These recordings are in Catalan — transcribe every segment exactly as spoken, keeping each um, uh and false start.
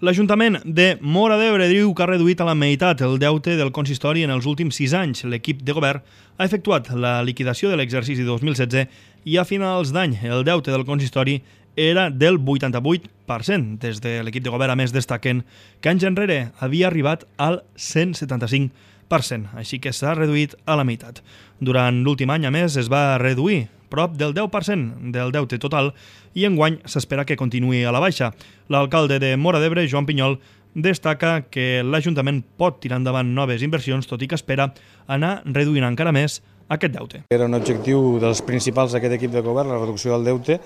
L'Ajuntament de Móra d'Ebre diu que ha reduït a la meitat el deute del consistori en els últims sis anys. L'equip de govern ha efectuat la liquidació de l'exercici dos mil setze i a finals d'any el deute del consistori era del vuitanta-vuit per cent. Des de l'equip de govern, a més, destaquen que anys enrere havia arribat al cent setanta-cinc per cent, així que s'ha reduït a la meitat. Durant l'últim any, a més, es va reduir prop del deu per cent del deute total i enguany s'espera que continuï a la baixa. L'alcalde de Móra d'Ebre, Joan Pinyol, destaca que l'Ajuntament pot tirar endavant noves inversions, tot i que espera anar reduint encara més aquest deute. Era un objectiu dels principals d'aquest equip de govern, la reducció del deute.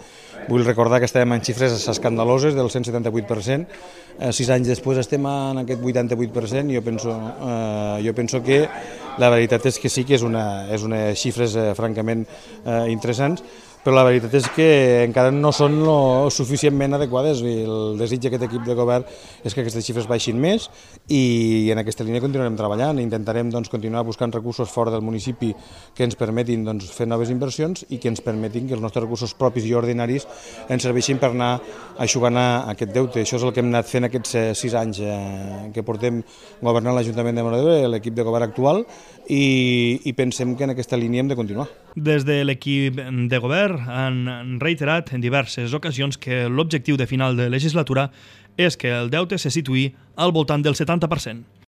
Vull recordar que estàvem en xifres escandaloses del cent setanta-vuit per cent. Eh, sis anys després estem en aquest vuitanta-vuit per cent. Jo penso, eh, jo penso que la veritat és que sí que és una, és unes xifres eh, francament eh, interessants, però la veritat és que encara no són lo suficientment adequades. El desig d'aquest equip de govern és que aquestes xifres baixin més i en aquesta línia continuarem treballant. Intentarem doncs, continuar buscant recursos fora del municipi que ens permetin doncs, fer noves inversions i que ens permetin que els nostres recursos propis i ordinaris ens serveixin per anar aixugant aquest deute. Això és el que hem anat fent aquests sis anys eh, que portem governant l'Ajuntament de Móra d'Ebre, l'equip de govern actual, i, i pensem que en aquesta línia hem de continuar. Des de l'equip de govern han reiterat en diverses ocasions que l'objectiu de final de legislatura és que el deute se situï al voltant del setanta per cent.